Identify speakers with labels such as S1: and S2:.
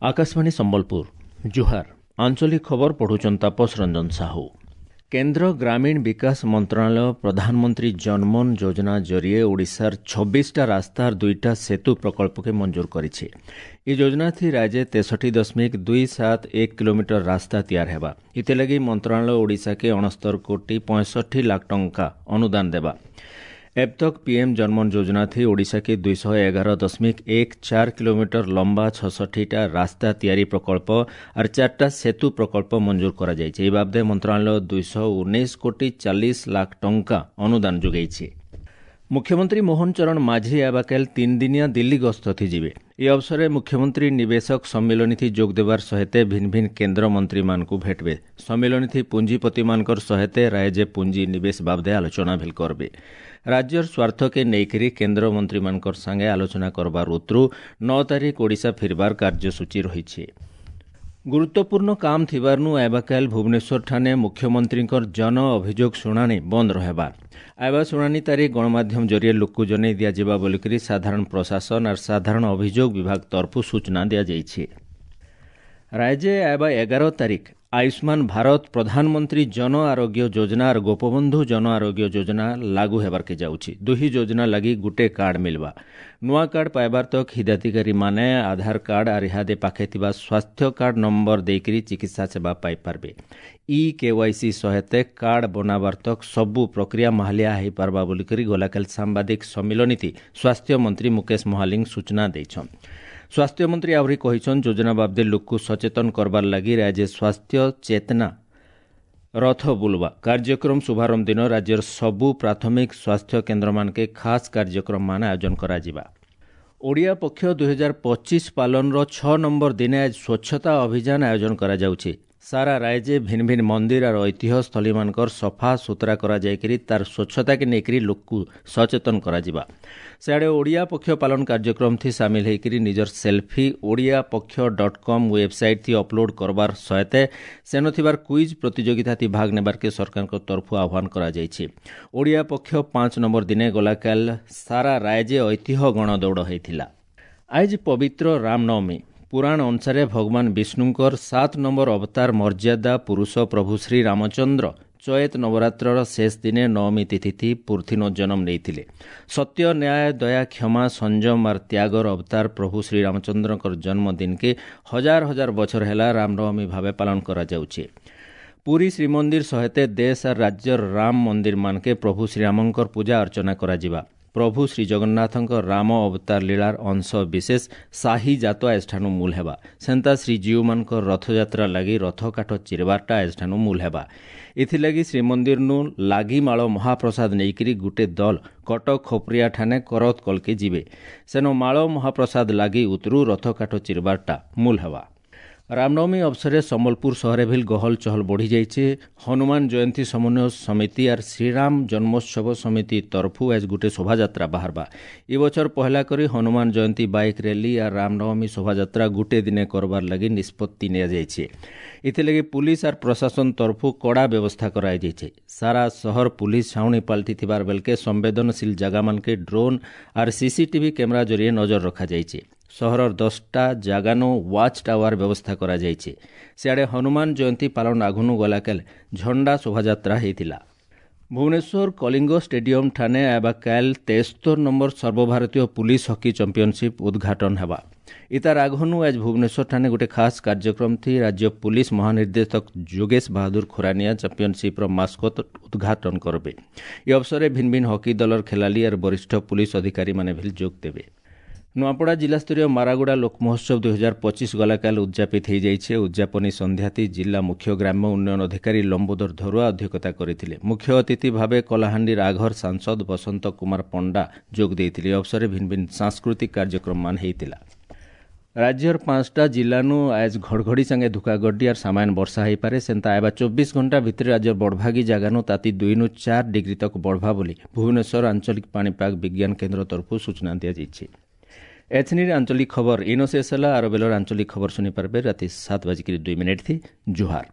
S1: ଆକାଶବାଣୀ ସମ୍ବଲପୁର, ଜୁହାର। ଆଞ୍ଚଳିକ ଖବର ପଢୁଛନ୍ ତାପସ ରଞ୍ଜନ ସାହୁ। କେନ୍ଦ୍ର ଗ୍ରାମୀଣ ବିକାଶ ମନ୍ତ୍ରଣାଳୟ ପ୍ରଧାନମନ୍ତ୍ରୀ ଜନମନ ଯୋଜନା ଜରିଏ ଓଡ଼ିଶାର 26ଟା ରାସ୍ତାର 2ଟା ସେତୁ ପ୍ରକଳ୍ପକେ ମଞ୍ଜୁର କରିଛି। ଏ ଯୋଜନା ଥି ରାଜ୍ୟ 63.271 କିଲୋମିଟର ରାସ୍ତା ତିଆର ହେବା। ଏଥିଲାଗି ମନ୍ତ୍ରଣାଳୟ ଓଡ଼ିଶାକେ 69 କୋଟି 65 ଲାଖ ଟଙ୍କା ଅନୁଦାନ ଦେବା। अब तक पीएम जनमन योजना थी ओडिशा के 211.14 किलोमीटर लंबा 66टा रास्ता तियारी प्रकल्प और 4टा सेतु प्रकल्प मंजूर करा जायछि। ए बाबदे मंत्रालय 219 कोटी 40 लाख टंका अनुदान जोगाइछि। मुख्यमंत्री मोहन चरण माझी आबाकाल 3 दिनिया दिल्ली गस्त थी जिवे। ए अवसरे मुख्यमंत्री निवेशक सम्मेलनी थी जोग देवार सहित भिन्न भिन्न केंद्र मंत्री मानकु भेटबे। सम्मेलनी थी पूंजीपति मानकर सहित राज्य पूंजी निवेश बाबदे आलोचना भेल करबे। राज्यर स्वार्थ के नेईकरी केंद्र मंत्री मानकर संगे आलोचना करबार उतरू 9 तारीख ओडिशा फिरबार कार्यसूची रहिछि। गुरुत्वपूर्ण काम थिबारनु आबाकाल भुवनेश्वर ठाने मुख्यमंत्रींकर जन अभियोग शुणानी बंद रहेबा। आवा शुणानी तारीख गणमाध्यम जरिए लोकକୁ जनाई दियाଯିବା बोलिकरी साधारण प्रशासन और साधारण अभियोग विभाग तरफु सूचना दियाଯାଇଛି। राज्य आवा 11 तारीख आयुष्मान भारत प्रधानमंत्री जन आरोग्य योजना और गोपबंधु जन आरोग्य योजना लागू हेबार के जाଉଛି। दुही योजना लागि गुटे कार्ड मिलबा। नुआ कार्ड पाइबार तक हिताधिकारी माने आधार कार्ड और इहादे पाखे थिबा स्वास्थ्य कार्ड नंबर देकरी चिकित्सा सेवा पाई पारबे। ई केवाईसी सहित कार्ड बनाबार तक सबु प्रक्रिया माहलिया होई पारबा बोलिकरी गलाकाल सांबादिक सम्मिलनीति स्वास्थ्य मंत्री मुकेश महालिंग सूचना देछन। स्वास्थ्य मंत्री आहरी कहिछन योजना बाबदे लोकକୁ सचेतन करबार लागि राज्य स्वास्थ्य चेतना रथ बुलवा कार्यक्रम शुभारंभ दिन राज्यर सबु प्राथमिक स्वास्थ्य केन्द्र मानके खास कार्यक्रम मान आयोजन कराजिबा। ओडिया पक्ष 2025 पालनर 6 नंबर दिने आज स्वच्छता अभियान आयोजन कराजाउछि। सारा राज्य भिन्न भिन्न मंदिर और ऐतिह्य स्थली मानकर सफा सुतरा करा जायकरी तार स्वच्छता के नेकरी लोकକୁ सचेतन कराजिबा। सिआडे ओडिया पक्ष पालन कार्यक्रम थी शामिल होईकरी निजर सेल्फी ओडिया पक्ष .com website थी अपलोड करबार सहित सेन थिबार क्विज प्रतियोगिता थी भाग नेबार के सरकार तरफु आह्वान करा जायछि। ओडिया पक्ष 5 नंबर दिने गलाकाल सारा राज्य ऐतिह्य गणदौड़ होईथिला। आज पवित्र रामनवमी। पुराण अनुसार भगवान विष्णुंकर 7 नंबर अवतार मर्यादा पुरुष प्रभु श्री रामचंद्र चैत नवरात्र शेष दिने नवमी तिथि पुर्थिनो जन्म नेइथिले। सत्य न्याय दया क्षमा संयम और त्यागर अवतार प्रभु श्री रामचंद्रकर जन्मदिन के हजार हजार बछर हेला रामनवमी भावे पालन करा जाउछि। पुरी श्रीमंदिर सहित देश और राज्यर राम मंदिर मानके प्रभु श्रीरामंकर पूजा अर्चना कराजिबा। प्रभु श्री जगन्नाथଙ୍କ राम अवतार लीलार अंश विशेष शाही जातवा एठानु मूल हेबा। सेन्ता श्री जीउमानଙ୍କ रथयात्रा लागि रथ काठ चिरबारटा एठानु मूल हेबा। एथिलागि श्रीमंदिरनु लागिमाळ महाप्रसाद नेईकरी गुटे दल कटक खोपरिया ठाने करत कलके जिवे। सेनो माळ महाप्रसाद लागि उतरु रथ काठ चिरबारटा मूल हेबा। रामनवमी अवसरे सम्बलपुर शहरे भी गहल चहल बढ़ी जाइছে। हनुमान जयंती समन्वय समिति और श्रीराम जन्मोत्सव समिति तरफु आज गुटे शोभायात्रा बाहरबा। ए बछर पहला करी हनुमान जयंती बाइक रैली और रामनवमी शोभायात्रा गुटे दिने करबार लागि निष्पत्ति निया जाइছে। एथिलागि पुलिस और प्रशासन तरफु कड़ा व्यवस्था कराई जाइছে। सारा शहर पुलिस छाउनी पाल्टी थिबार बेलके संवेदनशील जगह मानके ड्रोन और सीसीटीवी कैमरा जरिए नजर रखा जाइছে। सहरर 10टा जागानो वाच टावर व्यवस्था करा जाइছে। सिआडे हनुमान जयंती पालन आघुनु गलाकाल झंडा शोभायात्रा हेइथिला। भुवनेश्वर कलिंग स्टेडियम ठाने आबाकाल 73 नंबर सर्वभारतीय पुलिस हकी चैंपियनशिप उद्घाटन हेबा। इतार आघुनु आज भुवनेश्वर ठाने गोटे खास कार्यक्रम थी राज्य पुलिस महानिर्देशक जोगेश बहादुर खुरानिया चैंपियनशिप र मास्कट उद्घाटन करबे। ए अवसरे भिन्न भिन्न हकी दलर खेलाली और वरिष्ठ पुलिस अधिकारी माने भी जोग देबे। नुआपड़ा जिलास्तरीय मारागुड़ा लोक महोत्सव 2025 गलाकाल उद्यापित हो जाइছে। उद्यापनी सन्ध्याति जिला मुख्य ग्राम्य उन्नयन अधिकारी लम्बोदर धरुआ अध्यक्षता करिथिले। मुख्य अतिथि भावे कलाहांडी राघर सांसद बसंत कुमार पंडा जोग देइथिले। अवसरे भिन्न भिन्न सांस्कृतिक कार्यक्रम मान हेइतिला। राज्यर 5टा जिल्लानु आज घड़घड़ी संगे धुकागड्डी और सामान्य वर्षा हो पारे। सेंता आबा 24 घंटा भितर राज्य बड़भागी जागानु ताती 2 नु 4 डिग्री तक बढ़वा बोली भुवनेश्वर आंचलिक पाणीपाग विज्ञान केंद्र तरफु सूचना दिया। एथनिर आंचलिक खबर इनो शेष होला। आरो बेलर आंचलिक खबर सुनि पारबे राति 7:02 थी। जुहार।